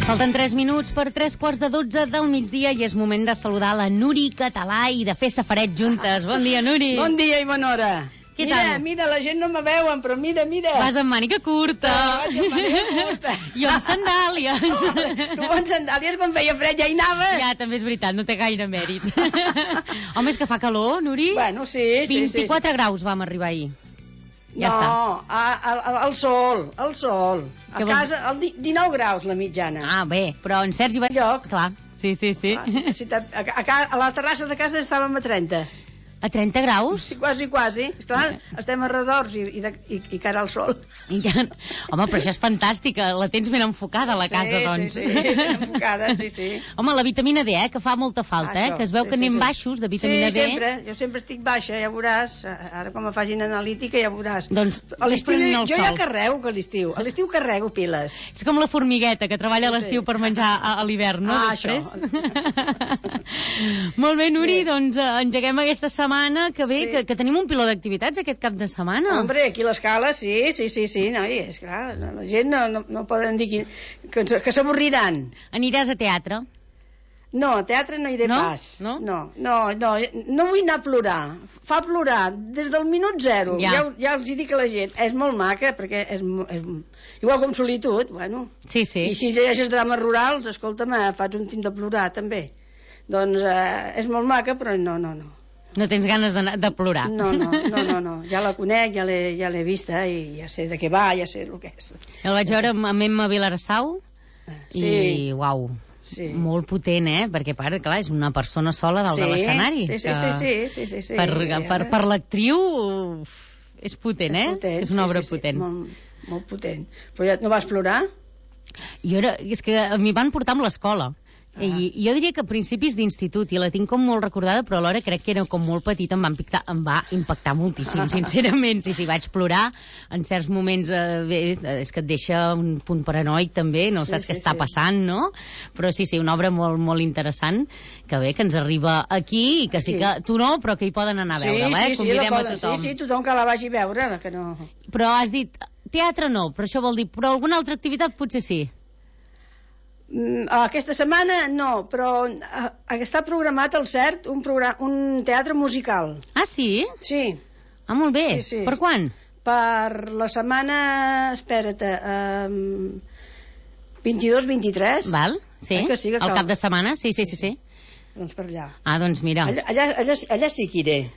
Falten 3 minuts per 3:45 del migdia i és moment de saludar la Nuri Català i de fer safaret juntes. Bon dia, Nuri. Bon dia i bona hora. Què mira, tal? Mira, la gent no me veuen, però mira. Vas amb màniga curta. Vaig amb màniga curta. Jo amb sandàlies. Tu amb sandàlies quan feia fred ja hi anaves. Ja, també és veritat, no té gaire mèrit. Home, és que fa calor, Nuri. Bueno, sí. 24 graus vam arribar ahir. Ja no, està. al sol. A casa, 19 graus la mitjana. Ah, bé, però en Sergi va... Lloc. Clar, sí. A la terrassa de casa estàvem a 30. A 30 graus? Sí, quasi. Esclar, estem a redors i cara al sol. Home, però això és fantàstic, la tens ben enfocada a la casa, doncs. Sí, ben enfocada, sí. Home, la vitamina D, que fa molta falta, això, que es veu que anem baixos de vitamina D. Sí, jo sempre estic baixa, ja veuràs, ara quan me facin analítica ja veuràs. Doncs, a l'estiu jo ja carrego que a l'estiu carrego piles. És com la formigueta, que treballa a l'estiu per menjar a l'hivern, no? Després. Molt bé, Nuri, doncs engeguem aquesta setmana, que bé, que tenim un piló d'activitats aquest cap de setmana. Hombre, aquí a l'escala, sí, noi, és clar, la gent no poden dir que s'avorriran. Aniràs a teatre? No, a teatre no iré pas. No vull anar a plorar. Fa plorar des del minut zero. Ja els dic a la gent, és molt maca, perquè és igual com Solitud, bueno. Sí. I si llegeixes drames rurals, escolta'm, fas un tim de plorar, també. Doncs és molt maca, però no. No tens ganes de plorar? No. Ja la conec, ja l'he vista i ja sé de què va, ja sé el que és. El vaig veure amb Emma Vilarassau i, uau, molt potent, perquè, clar, és una persona sola dalt de l'escenari. Sí. Per l'actriu és potent, És una obra potent. Molt potent. Però ja no vas plorar? És que m'hi van portar amb l'escola. I jo diria que a principis d'institut, i la tinc com molt recordada, però alhora crec que era com molt petita, em va impactar moltíssim, sincerament. Sí, vaig plorar en certs moments, és que et deixa un punt paranoic també, no saps què està passant, no? Però sí, una obra molt, molt interessant, que bé, que ens arriba aquí, i que sí que tu no, però que hi poden anar a veure-la, convidem a tothom. Sí, tothom que la vagi a veure, que no... Però has dit, teatre no, però això vol dir, però alguna altra activitat potser sí. Aquesta setmana no, però està programat al CERT un teatre musical. Ah, sí? Sí. Ah, molt bé. Sí. Per quan? Per la setmana, espera't, 22-23. Val, sí. Que al cap de setmana, sí. Doncs per allà. Ah, doncs mira. Allà sí que iré.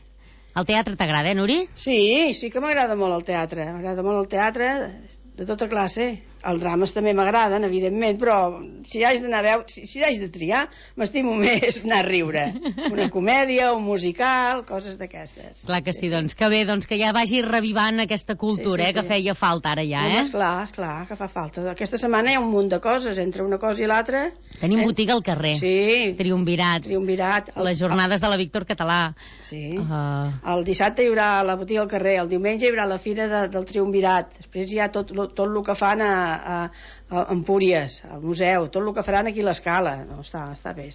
El teatre t'agrada, Nuri? Sí que m'agrada molt el teatre. M'agrada molt el teatre de tota classe. Els drames també m'agraden, evidentment, però si haig d'anar a veure, si haig de triar, m'estimo més anar a riure. Una comèdia, un musical, coses d'aquestes. Clar que sí, doncs que bé, doncs que ja vagi revivant aquesta cultura, que feia falta ara ja, Esclar, que fa falta. Aquesta setmana hi ha un munt de coses, entre una cosa i l'altra. Tenim botiga al carrer. Sí. Triumvirat. Les jornades de la Víctor Català. Sí. El dissabte hi haurà la botiga al carrer, el diumenge hi haurà la fira del Triumvirat, després hi ha tot el que fan a Empúries, al museu, tot el que faran aquí a l'escala. No, està bé.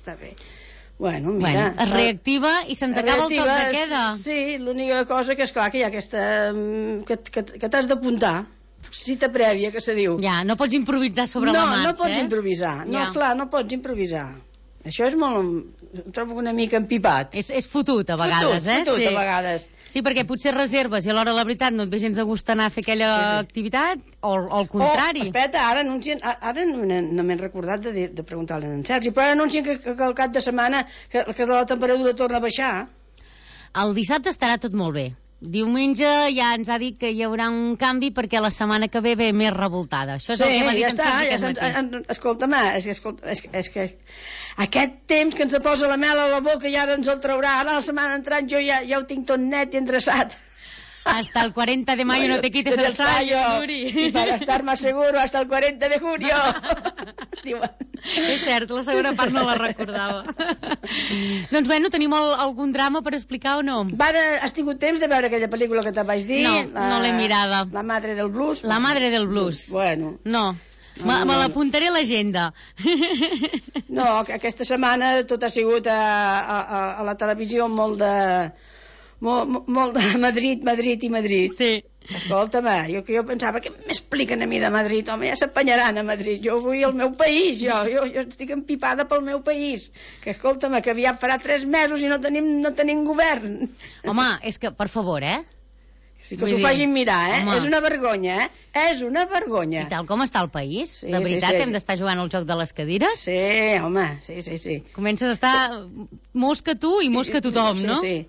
Bueno, mira... es reactiva i se'ns acaba el toc de queda. Sí, l'única cosa que és clar que hi ha aquesta... que t'has d'apuntar, cita prèvia, que se diu. Ja, no pots improvisar sobre la marxa, No pots improvisar. No, clar, no pots improvisar. Això és molt... Ho trobo una mica empipat. És fotut, a vegades, Fotut, a vegades. Sí, perquè potser reserves i a l'hora, la veritat, no et ve gens de gust anar a fer aquella activitat, o al contrari. Espera, ara no m'he recordat de preguntar-li a en Sergi, però ara anuncien que al cap de setmana que la temperatura torna a baixar. El dissabte estarà tot molt bé. Diumenge ja ens ha dit que hi haurà un canvi perquè la setmana que ve més revoltada. Això és el que m'ha dit en Sergi aquest matí. Escolta'm, és que aquest temps que ens posa la mel a la boca i ara ens el traurà. Ara la setmana entrant jo ja ho tinc tot net i endreçat. Hasta el 40 de mayo no te quites el sayo, Nuri. Y para estar más seguro, hasta el 40 de junio. És cert, la segona part no la recordava. Doncs bueno, tenim algun drama per explicar o no? Has tingut temps de veure aquella pel·lícula que te vaig dir? No l'he mirada. La madre del blues? La madre del blues. Bueno. No. Me l'apuntaré a l'agenda. No, aquesta setmana tot ha sigut a la televisió molt de Madrid. Sí. Escolta'm, jo pensava que m'expliquen a mi de Madrid, home, ja s'apanyaran a Madrid, jo vull al meu país, jo estic empipada pel meu país, que escolta'm, que aviat farà 3 mesos i no tenim govern. Home, és que, per favor, Sí, que s'ho facin mirar, home. És una vergonya, És una vergonya. I tal com està el país, Sí, de veritat, sí. hem d'estar jugant al joc de les cadires? Sí, home, sí. Comences a estar molts que tu i molts que tothom, no? Sí.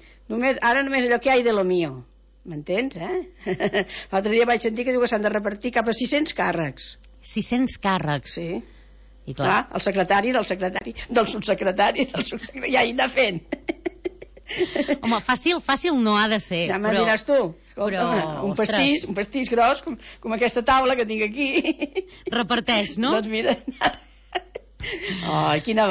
Ara només allò que hi ha de lo mío. M'entens, L'altre dia vaig sentir que diu que s'han de repartir cap a 600 càrrecs. 600 càrrecs. Sí. I clar, El secretari del subsecretari, ja hi anar fent. home, fàcil no ha de ser. Ja me'n diràs tu. Escolta'm, però, un pastís gros, com aquesta taula que tinc aquí. reparteix, no? Doncs mira... quina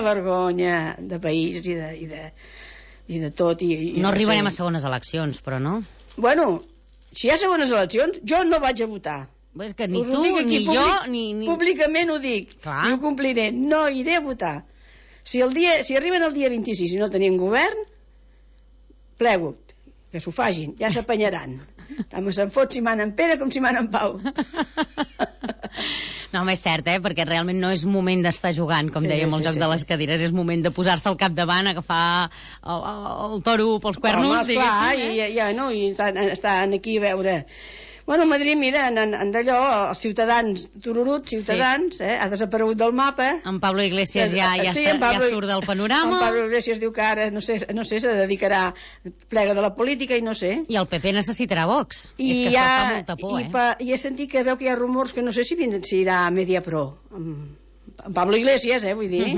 vergonya de país i de tot. No arribarem a segones eleccions, però no? Bueno, si hi ha segones eleccions, jo no vaig a votar. És que ni Us ho tu, dic aquí, ni jo, ni... Públicament ho dic. Clar. I ho compliré. No iré a votar. Si arriben el dia 26 i no tenim govern, plego, que s'ho facin, ja s'apanyaran. Tant se'n fot si manen Pere com si manen Pau. No, home, és cert, perquè realment no és moment d'estar jugant, com dèiem, el joc de les cadires, és moment de posar-se al capdavant, agafar el toro pels cuernos, diguéssim. Clar, i estan aquí a veure... Bueno, a Madrid, mira, en d'allò, els ciutadans, tururuts, ciutadans, ha desaparegut del mapa. En Pablo Iglesias ja surt del panorama. En Pablo Iglesias diu que ara, no sé, se dedicarà plega de la política i no sé. I el PP necessitarà Vox. És que això fa molta por, I he sentit que veu que hi ha rumors que no sé si irà a Mediapro. En Pablo Iglesias, vull dir.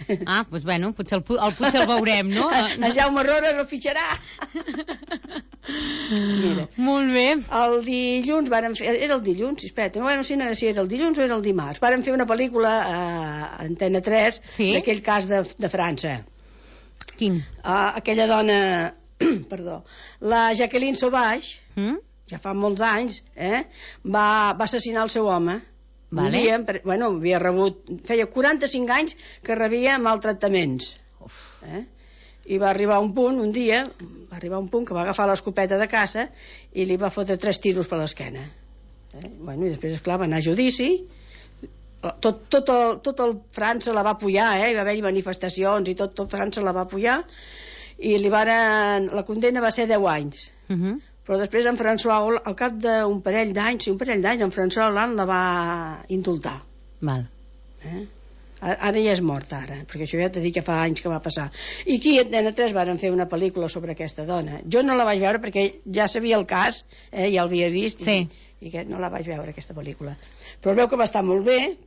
Doncs bueno, potser el veurem, no? En Jaume Rores el fitxarà. Mira. Molt bé. El dilluns varen fer... Era el dilluns? Espera, no sé si era el dilluns o era el dimarts. Varen fer una pel·lícula a Antena 3 d'aquell cas de França. Quin? Aquella dona... Perdó. La Jacqueline Sauvage, ja fa molts anys, va assassinar el seu home. Un dia, havia rebut... Feia 45 anys que rebia maltractaments. I va arribar un punt, un dia, que va agafar l'escopeta de caça i li va fotre 3 tiros per l'esquena. I després, esclar, va anar a judici. Tot el França la va apoyar, hi va haver manifestacions i tot França la va apoyar, i la condemna va ser 10 anys. Però després en François Hollande, al cap d'un parell d'anys, en François Hollande la va indultar. Val. Ara ja és mort, perquè això ja t'he dit que fa anys que va passar. I aquí a Antena 3 varen fer una pel·lícula sobre aquesta dona. Jo no la vaig veure perquè ja sabia el cas, ja l'havia vist, i que no la vaig veure, aquesta pel·lícula. Però veu que va estar molt bé,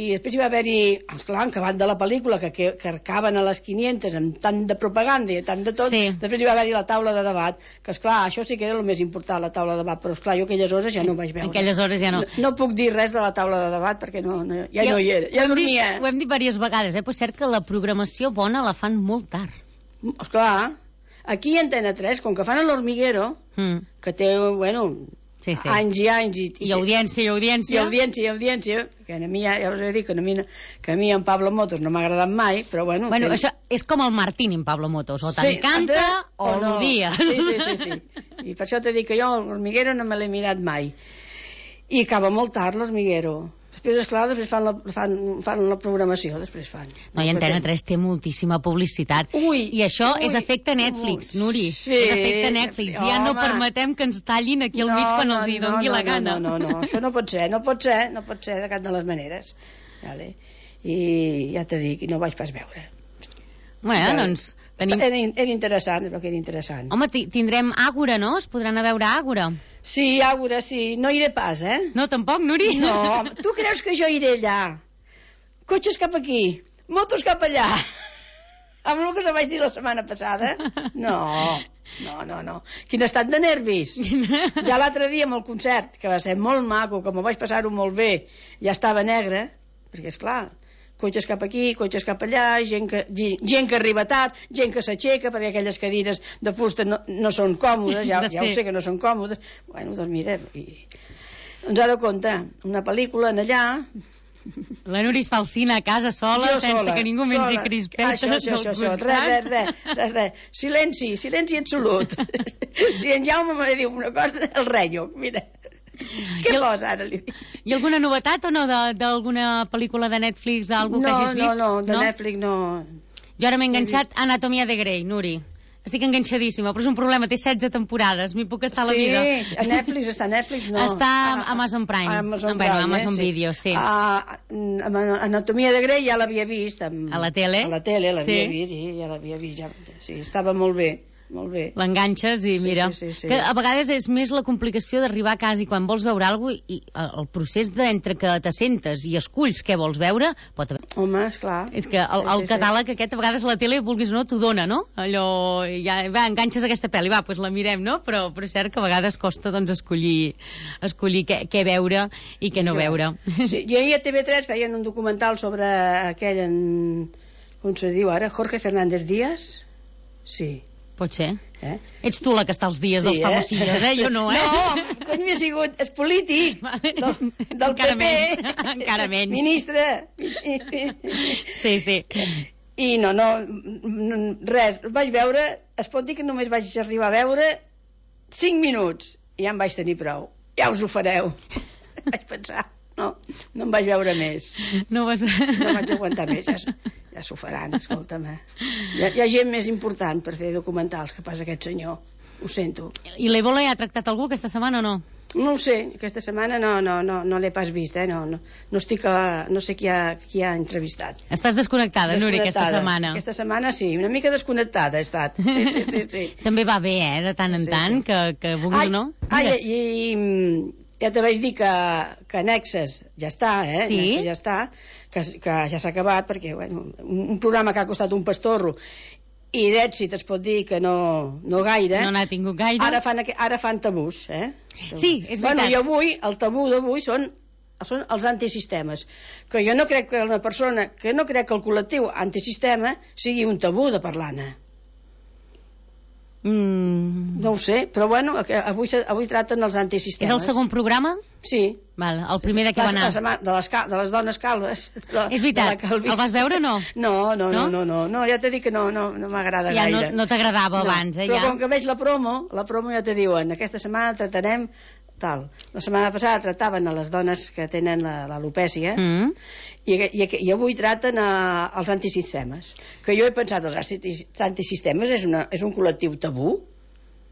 i després hi va haver-hi, esclar, en acabat de la pel·lícula, que acaben a les 500 amb tant de propaganda i tant de tot, després hi va haver-hi la taula de debat, que esclar, això sí que era el més important, la taula de debat, però esclar, jo aquelles hores ja no ho vaig veure. Aquelles hores ja no. No puc dir res de la taula de debat perquè ja no hi era, ja dormia. Ho hem dit diverses vegades, però és cert que la programació bona la fan molt tard. Esclar, aquí a Antena 3, com que fan l'Hormiguero, que té, anys i anys i audiència que a mi ja us he dit que a mi en Pablo Motos no m'ha agradat mai, però això és com el Martín en Pablo Motos, o t'encanta o l'odies. Sí, i per això t'he dit que jo l'Hormiguero no me l'he mirat mai, i acaba molt tard l'Hormiguero. Després, esclar, fan la programació, després fan. No, i Antena 3 té moltíssima publicitat. I això és efecte Netflix, Nuri. Sí. És efecte Netflix. Ja no permetem que ens tallin aquí al mig quan els hi doni la gana. No, això no pot ser de cap de les maneres. I ja t'he dit, no vaig pas veure. Doncs... Era interessant, però que era interessant. Home, tindrem Àgora, no? Es podran anar a veure Àgora. Sí, Àgora, sí. No iré pas, No, tampoc, Nuri? No, tu creus que jo iré allà? Cotxes cap aquí, motos cap allà. Amb el que se vaig dir la setmana passada? No. Quin estat de nervis. Ja l'altre dia amb el concert, que va ser molt maco, que m'ho vaig passar-ho molt bé, ja estava negre, perquè, esclar, cotxes cap aquí, cotxes cap allà, gent que arriba tard, gent que s'aixeca, perquè aquelles cadires de fusta no són còmodes, ja ho sé que no són còmodes. Doncs mira, doncs ara compte, una pel·lícula en allà, La Núria es fa el cine a casa sola, sense que ningú mengi crispetes al costat. Res. Silenci absolut. Si en Jaume me diu una cosa, el renyo, mira. Què vols ara, li dic? Hi ha alguna novetat o no d'alguna pel·lícula de Netflix, algú que hagis vist? No, de Netflix no. Jo ara m'he enganxat a Anatomia de Grey, Nuri. Estic enganxadíssima, però és un problema, té 16 temporades, m'hi puc estar a la vida. Sí, a Netflix no. Està a Amazon Prime. Amazon Video, sí. Anatomia de Grey ja l'havia vist. A la tele? A la tele l'havia vist, sí, ja l'havia vist. Sí, estava molt bé. Molt bé. L'enganxes i mira, sí. que a vegades és més la complicació d'arribar a casa i quan vols veure alguna cosa i el procés d'entre que t'assentes i esculls què vols veure pot haver... Home, esclar. És que el catàleg aquest a vegades a la tele, vulguis o no, t'ho dona, no? Allò, ja, va, enganxes aquesta pel·li, va, doncs la mirem, no? Però és cert que a vegades costa doncs escollir què veure i què no veure. Sí, i ahir a TV3 feien un documental sobre aquell, com se diu ara, Jorge Fernández Díaz? Sí. Pot ser. Ets tu la que està als dies dels famosillos, jo no, No, quan m'hi ha sigut, és polític, del PP. Encara menys. Ministre. Sí. I no, res, vaig veure, es pot dir que només vaig arribar a veure 5 minuts, i ja em vaig tenir prou. Ja us ho fareu. Vaig pensar, no em vaig veure més. No vaig aguantar més, ja s'ho faran, escolta'm. Hi ha gent més important per fer documentals que pas aquest senyor, ho sento. I l'Ébola ja ha tractat algú aquesta setmana o no? No ho sé, aquesta setmana no l'he pas vist, no sé qui ha entrevistat. Estàs desconnectada, Núria, aquesta setmana? Aquesta setmana sí, una mica desconnectada he estat, sí. També va bé, de tant en tant, que vulguis o no? I ja te vaig dir que Nexes ja està, Sí? Nexes ja està, que ja s'ha acabat, perquè un programa que ha costat un pastorro i d'èxit es pot dir que no gaire. No n'ha tingut gaire. Ara fan tabús, Sí, és veritat. I avui, el tabú d'avui són els antisistemes. Que jo no crec que una persona, que no crec que el col·lectiu antisistema sigui un tabú de parlar-ne. No ho sé, però avui traten els antisistemes. És el segon programa? Sí. Val, el primer de què va anar? De les dones calves. És veritat, el vas veure o no? No, ja t'he dit que no m'agrada gaire. Ja no t'agradava abans, Però com que veig la promo ja te diuen, aquesta setmana tratarem tal. La setmana passada trataven a les dones que tenen l'alopècia i avui traten els antisistemes. Que jo he pensat, els antisistemes és un col·lectiu tabú?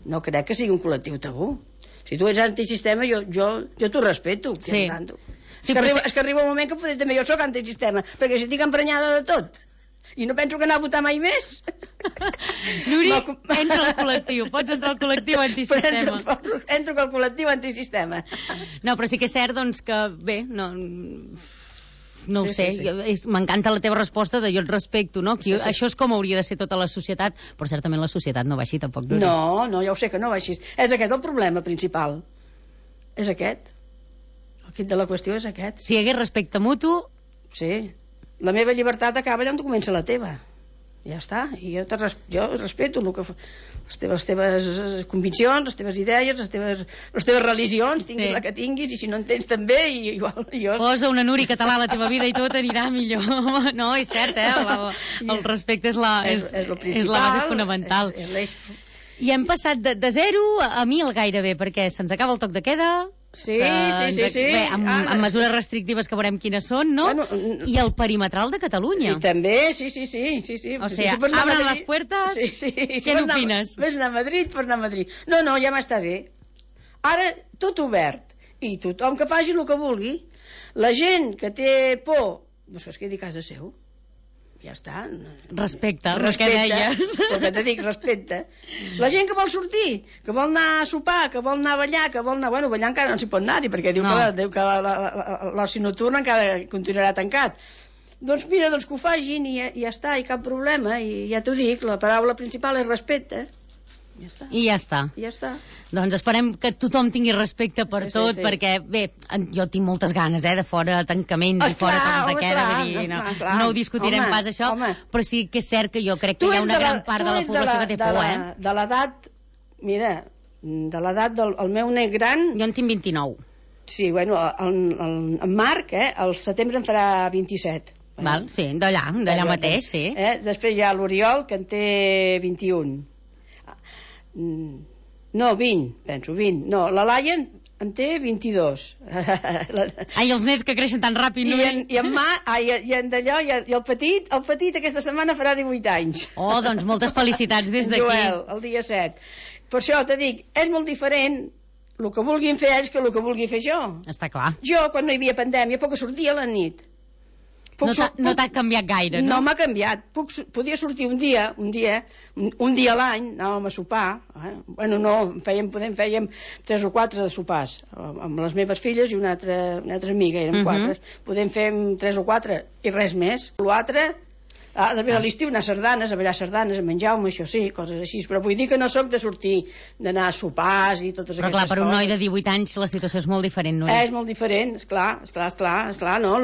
No crec que sigui un col·lectiu tabú. Si tu ets antisistema, jo t'ho respeto. Sí. És que arriba un moment que també jo sóc antisistema, perquè si estic emprenyada de tot i no penso que anar a votar mai més. Nuri, entra al col·lectiu, pots entrar al col·lectiu antisistema. Entro al col·lectiu antisistema. No, però sí que és cert, doncs, que bé, no ho sé, m'encanta la teva resposta de jo et respecto, no? Això és com hauria de ser tota la societat, però certament la societat no va així tampoc. No, ja ho sé que no va així. És aquest el problema principal. És aquest. El quid de la qüestió és aquest. Si hi hagués respecte mutu... Sí. La meva llibertat acaba allà on comença la teva. Ja està. I jo respeto les teves conviccions, les teves idees, les teves religions, tinguis la que tinguis, i si no en tens també, i igual jo... Posa una Núria català a la teva vida i tot anirà millor. No, és cert, el respecte és la base fonamental. I hem passat de 0 a 1000 gairebé, perquè se'ns acaba el toc de queda... Sí. Bé, amb mesures restrictives que veurem quines són, no? I el perimetral de Catalunya. I també, sí. O sigui, abren les puertes, què n'opines? Ves anar a Madrid, pots anar a Madrid. No, ja m'està bé. Ara, tot obert. I tothom que faci el que vulgui. La gent que té por, doncs que es quedi a casa seu. Ja està. Respecte, el que deies. El que te dic, respecte. La gent que vol sortir, que vol anar a sopar, que vol anar a ballar, que vol anar... Bueno, ballar encara no s'hi pot anar-hi, perquè diu que l'oci nocturn encara continuarà tancat. Doncs mira, que ho facin i ja està, i cap problema. I ja t'ho dic, la paraula principal és respecte. I ja està. Doncs esperem que tothom tingui respecte per tot, perquè, bé, jo tinc moltes ganes, de fora tancaments i fora tocs de queda, vull dir, no ho discutirem pas això, però sí que és cert que jo crec que hi ha una gran part de la població que té por, De l'edat, mira, de l'edat del meu net gran... Jo en tinc 29. Sí, bueno, en Marc, al setembre en farà 27. Val, sí, d'allà mateix, sí. Després hi ha l'Oriol, que en té 21. No, 20, penso, 20. No, la Laia en té 22. Ai, els nens que creixen tan ràpid, no? I en d'allò, i el petit aquesta setmana farà 18 anys. Oh, doncs moltes felicitats des d'aquí. Joel, el dia 7. Per això te dic, és molt diferent el que vulguin fer ells que el que vulgui fer jo. Està clar. Jo, quan no hi havia pandèmia, poc sortia a la nit. No t'ha canviat gaire, no? No m'ha canviat. Podia sortir un dia a l'any, anàvem a sopar. Bueno, no, fèiem 3 o 4 de sopars, amb les meves filles i una altra amiga, érem 4. Podem fer 3 o 4 i res més. L'altre, després a l'estiu anar a sardanes, a ballar sardanes, a menjar-me, això sí, coses així, però vull dir que no sóc de sortir, d'anar a sopars i totes aquestes coses. Però clar, per un noi de 18 anys la situació és molt diferent, no? És molt diferent, esclar, no?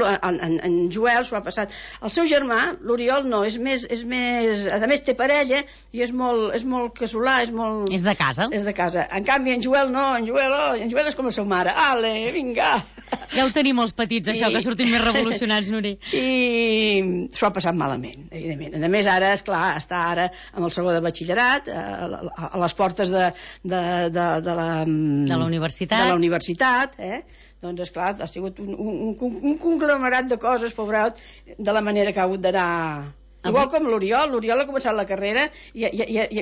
En Joel s'ho ha passat. El seu germà, l'Oriol, no, és més, a més té parella i és molt casolà, és molt... És de casa. És de casa. En canvi, en Joel no, en Joel és com la seva mare. Ale, vinga! Ja ho tenim els petits, això, que sortim més revolucionats, Nuri. I s'ho ha passat malament, evidentment. A més, ara, esclar, està ara amb el segon de batxillerat, a les portes de la universitat, doncs, esclar, ha sigut un conglomerat de coses, pobrat, de la manera que ha hagut d'anar... Igual com l'Oriol ha començat la carrera i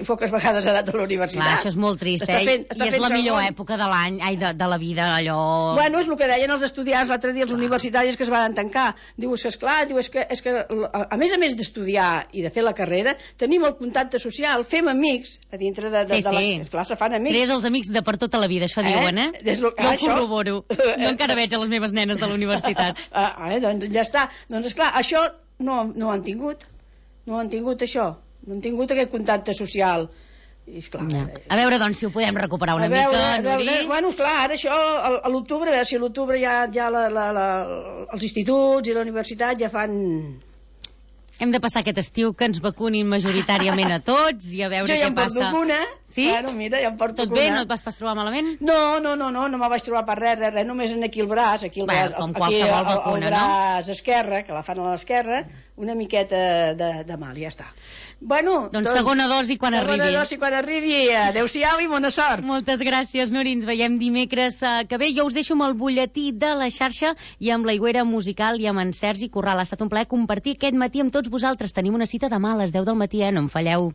poques vegades ha anat a la universitat. Clar, això és molt trist, I és la millor època de l'any, de la vida, allò... Bueno, és el que deien els estudiants l'altre dia, els universitaris que es van tancar. Diu, és que a més d'estudiar i de fer la carrera, tenim el contacte social, fem amics a dintre de la... Esclar, se fan amics. Crees els amics de per tota la vida, això diuen, Jo ho corroboro. Jo encara veig a les meves nenes de la universitat. Doncs ja està. Doncs, esclar, això no ho han tingut. No han tingut això, no han tingut aquest contacte social. I esclar, a veure, doncs, si ho podem recuperar una mica, Nuri. Bueno, esclar, ara això, a l'octubre, a veure si a l'octubre ja els instituts i la universitat ja fan... Hem de passar aquest estiu que ens vacunin majoritàriament a tots i a veure què passa. Jo ja em porto una. Sí? Bueno, mira, ja em porto una. Tot bé? No et vas pas trobar malament? No me vaig trobar per res, només aquí el braç, aquí com qualsevol vacuna, el braç esquerre, que la fan a l'esquerra, una miqueta de mal, ja està. Bueno, doncs segona dosi quan arribi. Segona dosi quan arribi. Adéu-siau i bona sort. Moltes gràcies, Nuri. Ens veiem dimecres que ve. Jo us deixo amb el butlletí de la xarxa i amb l'Aigüera Musical i amb en Sergi Corral. Ha estat un plaer compartir aquest matí amb tots vosaltres. Tenim una cita demà a les 10 del matí, no em falleu.